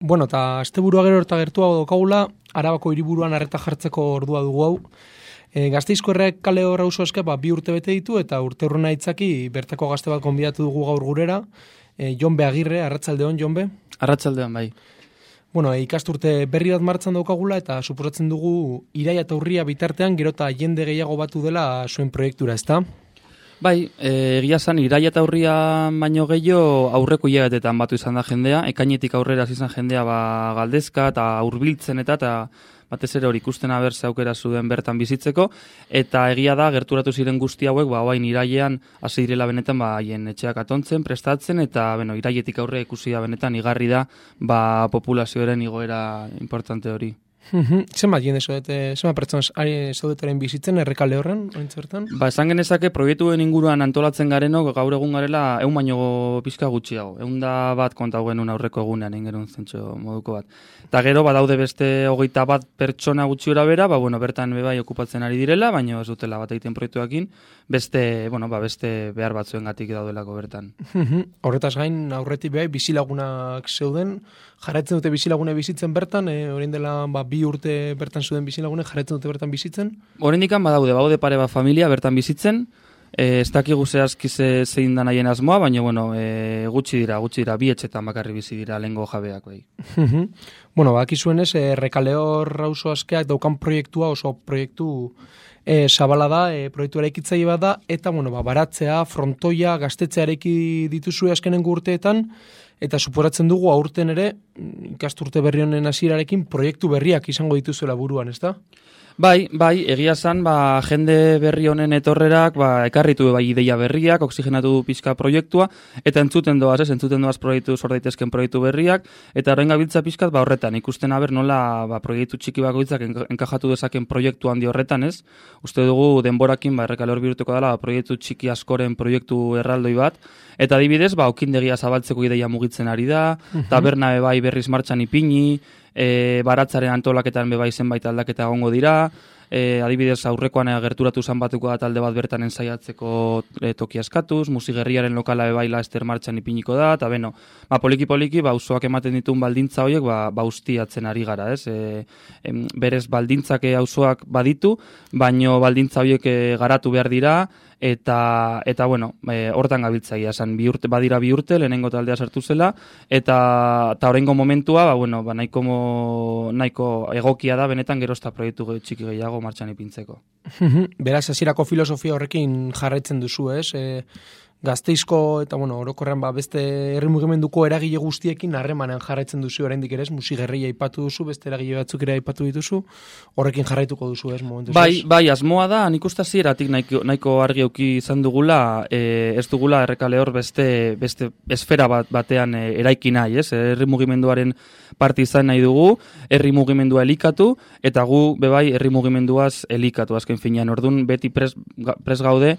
Bueno, eta asteburua gero eta gertuago daukagula, Arabako hiriburuan arreta jartzeko ordua dugu hau. Gasteizko Errekale auzo eske 2 urte bete ditu eta urteurrena itzaki bertako gazte bat gonbidatu dugu gaur gurera. Jonbe Agirre, arratsaldeon Jonbe. Arratsaldeon bai. Bueno, ikasturte berri bat martxan daukagula eta suposatzen dugu iraia eta urria bitartean gero eta jende gehiago batu dela zuen proiektura, ezta? Bai, egia esan iraia eta urria baino gehiago aurreko hilabetetan batu izan da jendea, ekainetik aurrera izan jendea galdezka eta hurbiltzen eta batez ere hori ikusten abertze aukera zuen bertan bizitzeko, eta egia da gerturatu ziren guzti hauek orain irailean hasi direla benetan haien etxeak atontzen, prestatzen, eta irailetik aurre ikusi da benetan igarri da populazioaren igoera importante hori. Zenbat jende zaudete, zenbat pertsona zaudetaren bizitzen Errekale horren, oraintxe bertan? Esan genezake proiektuen inguruan antolatzen garenok gaur egun garela 100 baino pizka gutxiago. 101 kontatu genuen aurreko egunean ingerun zentxo moduko bat. Eta gero badaude beste 21 pertsona gutxi ora bera, bertan bai okupatzen ari direla, baina ez dutela bat egiten proiektuekin, beste behar batzuengatik daudelako bertan. Horretaz gain aurretik bai bizilagunak zeuden, jarraitzen dute bizilagune bizitzen bertan, orain dela 2 urte bertan zuden bizilagune jarraitzen dute bertan bizitzen? Oraindikan badaude pare bat familia bertan bizitzen, ez dakigu zehazki zein da nahien asmoa, baina gutxi dira, 2 etxetan bakarri bizi dira lehengo jabeak bai. Bueno, bakizuenez, Errekale auzo askeak daukan proiektua oso proiektu zabala da, proiektu eraikitzaile bat da, eta baratzea, frontoia, gaztetzea eraiki dituzue azkenengo urteetan, eta suporatzen dugu aurten ere, ikasturte berri honen hasierarekin proiektu berriak izango dituzuela buruan, ezta? Bai, egia esan, jende berri honen etorrerak, ekarritu ideia berriak, oxigenatu du pixka proiektua, eta entzuten doaz proiektu sordaitezken proiektu berriak, eta orain gabiltza pixkat horretan, ikusten aber nola proiektu txiki bakoitzak enkajatu dezaken proiektu handi horretan, ez? Uste dugu denborakin Errekale hor bihurtuko dela proiektu txiki askoren proiektu erraldoi bat, eta adibidez, okindegia zabaltzeko ideia mugitzen ari da, taberna berriz martxan ipini, baratzaren antolaketan bai zenbait aldaketa egongo dira, adibidez aurrekoan gerturatu zan batuko da talde bat bertan ensaiatzeko toki askatuz, musigerriaren lokala bai laster martxan ipiniko da, eta poliki-poliki auzoak ematen dituen baldintza horiek ustiatzen ari gara, ez? Berez baldintzak auzoak baditu, baino baldintza horiek garatu behar dira, eta hortan gabiltzaia, esan badira 2 urte, lehenengo taldea sartu zela, eta oraingo momentua, nahiko egokia da, benetan gerozta proiektu txiki gehiago martxan ipintzeko. Beraz, hasierako filosofia horrekin jarraitzen duzu, ez? Gasteizko eta orokorrean beste herri mugimenduko eragile guztiekin harremanean jarraitzen duzu oraindik ere, musigerria aipatu duzu, beste eragile batzuk ere aipatu dituzu, horrekin jarraituko duzu, ez momentuz? Bai, asmoa da, nik uste hasieratik nahiko argi eduki izan dugula, ez dugula Errekale hor beste esfera batean eraiki nahi, ez? Herri mugimenduaren parte izan nahi dugu, herri mugimendua elikatu, eta gu bebai herri mugimenduaz elikatu azken finean. Orduan beti pres gaude,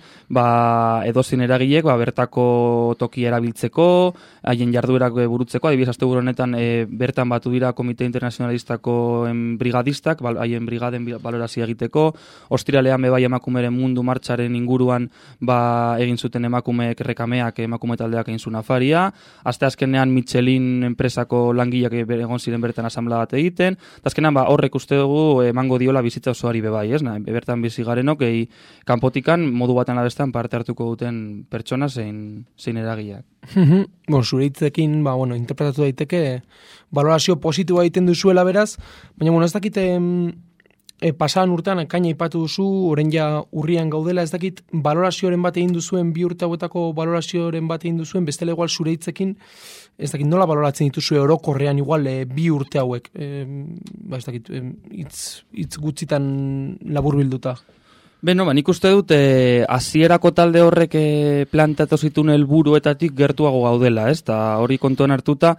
edozein eragilek bertako toki erabiltzeko, haien jarduerak burutzeko, adibidez asteburu honetan bertan batu dira Komite Internazionalistako brigadistak, haien brigaden balorazio egiteko, ostiralean bai emakumeren mundu martxaren inguruan egin zuten emakumeek rekameak, emakume taldeak egin zuen afaria, asteazkenean Michelin enpresako langileak egon ziren bertan asamblea bat egiten, eta azkenean horrek uste dugu emango diola bizitza osoari bebai, ez? Bertan bizi garenok, kanpotikan modu batean abestan parte hartuko duten pertsona zein eragileak. Zure hitzekin, interpretatu daiteke, balorazio positiboa egiten duzuela beraz, baina, ez dakit pasadan urtean ekaina aipatu duzu, orain ja urrian gaudela, ez dakit balorazioaren bat egin duzuen, 2 urte hauetako balorazioaren bat egin duzuen, bestela igual zure hitzekin, ez dakit nola baloratzen dituzue orokorrean igual 2 urte hauek, ez dakit, hitz gutxitan laburbilduta. Nik uste dut hasierako talde horrek plantatu zituen helburuetatik gertuago gaudela, ez? Ta hori kontuan hartuta,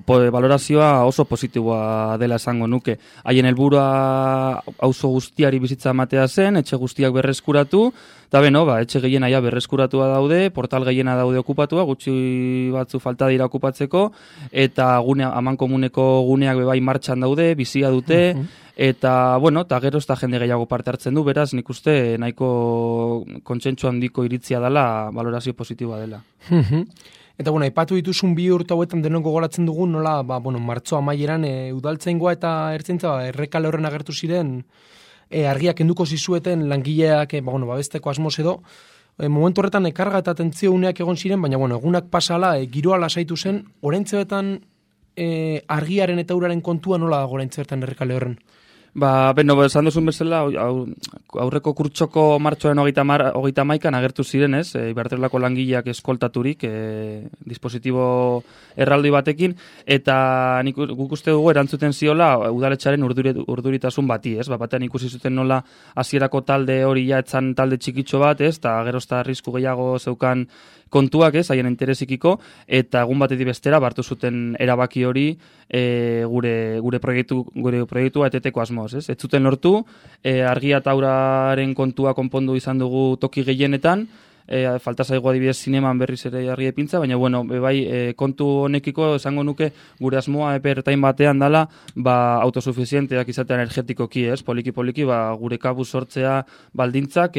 balorazioa oso positiboa dela esango nuke. Haien helburua auzo guztiari bizitza ematea zen, etxe guztiak berreskuratu, eta etxe gehiena berreskuratua daude, portal gehiena daude okupatua, gutxi batzu falta dira okupatzeko, eta amankomuneko guneak bebai martxan daude, bizia dute, eta gero ez da jende gehiago parte hartzen du, beraz nik uste nahiko kontsentsu handiko iritzia dela, balorazio positiboa dela. Eta bueno, aipatu dituzun 2 urte hauetan denok gogoratzen dugu nola, martxo amaieran udaltzaingoa eta ertzaintza errekale horren agertu ziren argiak kenduko zizueten langileak babesteko asmoz edo. Momentu horretan karga eta atentzio uneak egon ziren, baina egunak pasala giroa lasaitu zen, oraintxe betan argiaren eta uraren kontua nola dago oraintxe bertan errekale horren? Esan duzun bezala, aurreko kurtsoko martxoaren 31an agertu ziren, ez? Ibartelako langileak eskoltaturik, dispositibo erraldoi batekin, eta guk uste dugu erantzuten ziola udaletxaren urduritasun bati, ez? Batean ikusi zuten nola hasierako talde hori ja etzan talde txikitxo bat, ez? Eta gerozta arrisku gehiago zeukan kontuak, ez, haien interesikiko, eta egun batetik bestera hartu zuten erabaki hori gure proiektua eteteko asmoz, ez? Ez zuten lortu, argia eta auraren kontua konpondu izan dugu toki gehienetan, falta zaigu adibidez zineman berriz ere argi epintza, baina kontu honekiko esango nuke gure asmoa epertain batean dala autosuficienteak izatea energetikoki, ez? Poliki gure kabuz sortzea baldintzak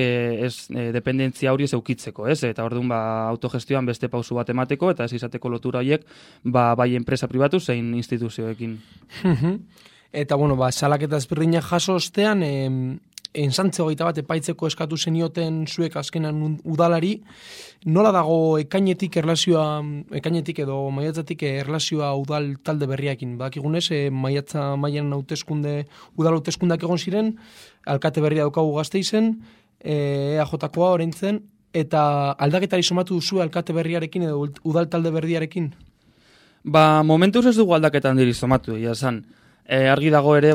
dependentzia hori ez eukitzeko, ez? Eta orduan autogestioan beste pausu bat emateko eta ez izateko lotura horiek bai enpresa pribatu zein instituzioekin. Eta salaketa ezberdinak jaso ostean ensantze 21 epaitzeko eskatu zenioten zuek azkenan udalari, nola dago ekainetik edo maiatzatik erlazioa udal talde berriakin? Badakigunez, maiatza mailan udal hauteskundeak egon ziren, alkate berria daukagu Gasteizen, EAJ-koa oraintzen, eta aldaketari somatu duzu alkate berriarekin edo udal talde berriarekin? Momentuz ez dugu aldaketan diri somatu, esan. Argi dago ere,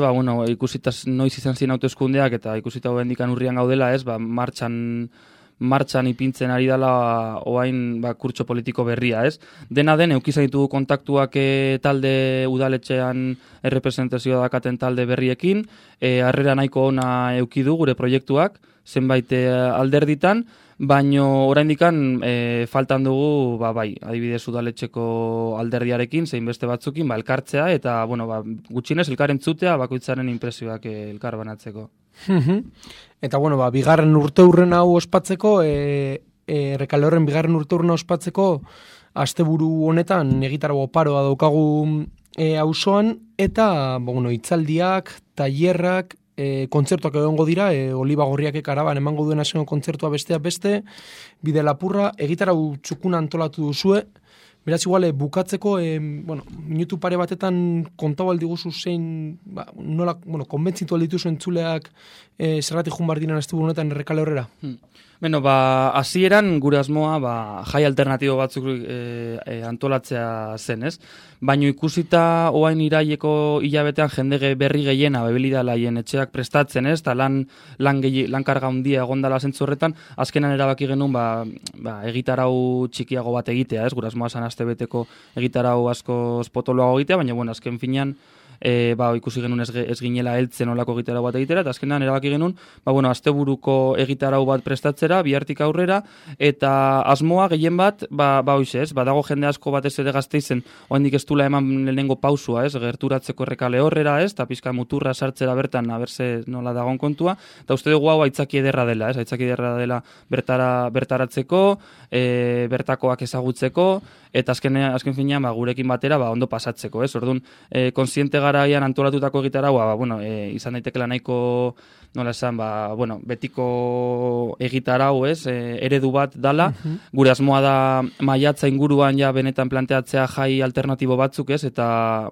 ikusita noiz izan ziren hauteskundeak eta ikusita bendikan urrian gaudela, ez, martxan ipintzen ari dela oain kurtso politiko berria, ez. Dena den, eukizan ditugu kontaktuak talde udaletxean errepresentazioa dakaten talde berriekin, harrera nahiko ona eukidu gure proiektuak, zenbait alderditan, baino oraindikan faltan dugu adibidez udaletxeko alderdiarekin zein beste batzukin elkartzea eta gutxienez elkar entzutea bakoitzaren inpresioak elkar banatzeko. Eta bigarren urteurren hau ospatzeko errekale horren bigarren urteurren ospatzeko asteburu honetan egitaragो paroa daukagu auzoan eta hitzaldiak, tailerrak, kontzertuak egongo dira, Oliba Gorriak karaban emango duen azeno kontzertua besteak beste, bide lapurra, egitarau txukuna antolatu duzue, beraz igual, bukatzeko, minutu pare batetan kontau aldi guzu zein, nola, konbentzitu alditu zuen txuleak zergatik junbar diren asteburu honetan errekale horrera? Hasieran gure asmoa jai alternatibo batzuk antolatzea zen, ez? Baina ikusita oain iraileko hilabetean jende berri gehiena bebilidala haien etxeak prestatzen, ez? Eta lan karga handia egondala zentzu horretan, azkenan erabaki genuen egitarau txikiago bat egitea, ez? Gure asmoa zan astebeteko egitarau asko potoloago egitea, baina azken finean ikusi genuen ez ginela heltzen olako egitarau bat egitera, eta azkenan erabaki genuen, asteburuko egitarau bat prestatzera, bihartik aurrera, eta asmoa gehien bat, ez, dago jende asko batez ere Gasteizen, oraindik ez dula eman lehenengo pausua, ez, gerturatzeko errekale horrera, ez, eta pizka muturra sartzera bertan, aberse nola dagoen kontua, eta uste dugu hau aitzaki ederra dela, ez, aitzaki ederra dela bertaratzeko, bertakoak ezagutzeko, eta azken finean gurekin batera ondo pasatzeko, ez, orduan, konsiente garaian antolatutako egitaraua, izan daitekela nahiko, nola esan, betiko egitarau, ez, eredu bat dala, gure asmoa da maiatza inguruan ja benetan planteatzea jai alternatibo batzuk, ez, eta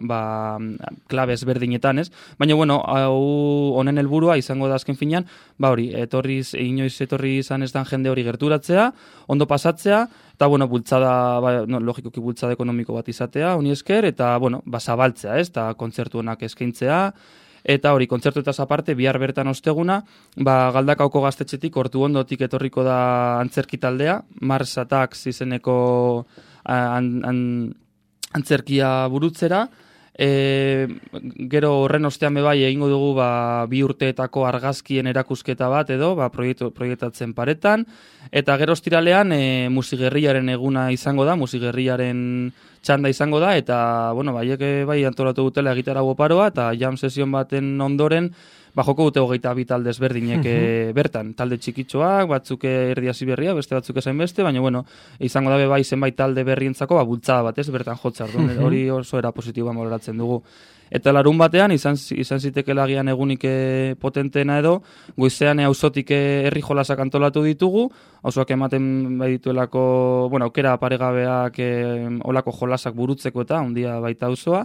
klabez berdinetan, ez, baina, hau honen helburua izango da azken finean, inoiz etorri izan ez dan jende hori gerturatzea, ondo pasatzea, eta, bultzada, logikoki bultzada ekonomiko bat izatea, honi esker, eta, zabaltzea, ez, eta kontzertu honak eskaintzea, eta kontzertu eta aparte, bihar bertan osteguna, Galdakaoko gaztetxetik, hortu ondotik etorriko da antzerki taldea, Mars Attacks izeneko antzerkia burutzera, gero horren ostean egingo dugu 2 urteetako argazkien erakusketa bat edo proiektatzen paretan, eta gero ostiralean Musigerriaren eguna izango da, Musigerriaren txanda izango da, eta, bueno, baiek bai antolatu dutela gitarra oparoa, eta jam sesion baten ondoren, joko dute 22 talde ezberdinek bertan, talde txikitxoak, batzuk erdiasi berria, beste batzuk esain beste, baina, bueno, izango dabe bai zenbait talde berrientzako, bultzada bat, ez, bertan jotzar, hori oso era positiboa baloratzen dugu. Eta larun batean, izan zitekela agian egunik potenteena edo, goizean auzotik herri jolasak antolatu ditugu, auzoak ematen bai dituelako, bueno, aukera paregabeak olako jolasak burutzeko eta ondia baita auzoa.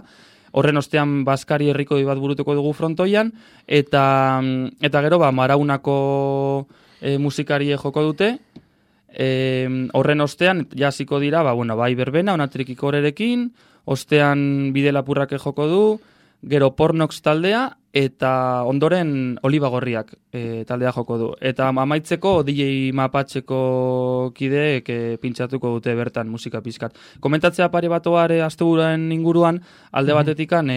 Horren ostean Baskari herriko bat burutuko dugu frontoian, eta gero Maraunako musikarie joko dute, horren ostean jasiko dira, bai berbena, onatrikiko horerekin, ostean Bidelapurrak joko du, gero Pornox taldea, eta ondoren Olibagorriak taldea joko du. Eta amaitzeko DJ Mapatxeko kideek pintxatuko dute bertan musika pizkat. Komentatzea pare batoare asteburuaren inguruan, alde batetikan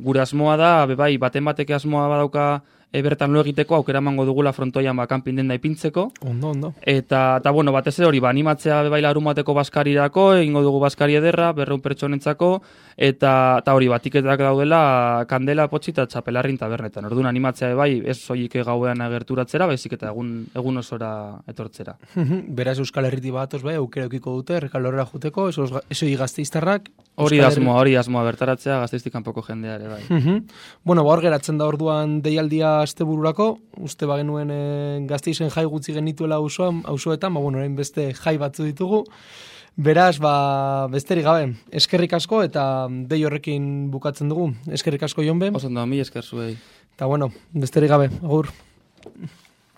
gure asmoa da, bai, baten bateke asmoa badauka bertan lo egiteko aukera emango dugula frontoian kanpin denda ipintzeko. Ondo. Eta bueno, batez ere hori, animatzea bai larun bateko Baskarirako, egingo dugu Baskari ederra, 200 pertsonentzako, eta hori, tiketak daudela Kandela, Potxi eta Txapelarrin tabernetan. Orduan animatzea bai, ez soilik gauean agerturatzera, baizik eta egun osora etortzera. Beraz Euskal Herriti batoz bai, aukera eukiko dute, Errekalorrera juteko, esoi Gasteiztarrak. Hori asmoa, bertaratzea Gasteiztik kanpoko jendeare bai. Bueno, hor geratzen da orduan deialdia astebururako, uste bagenuen Gasteizen jai gutxi genituela auzoetan, orain beste jai batzu ditugu. Beraz, besterik gabe, eskerrik asko eta dei horrekin bukatzen dugu. Eskerrik asko Jonbe. Oso ondo, mi esker zuei. Eta besterik gabe, agur.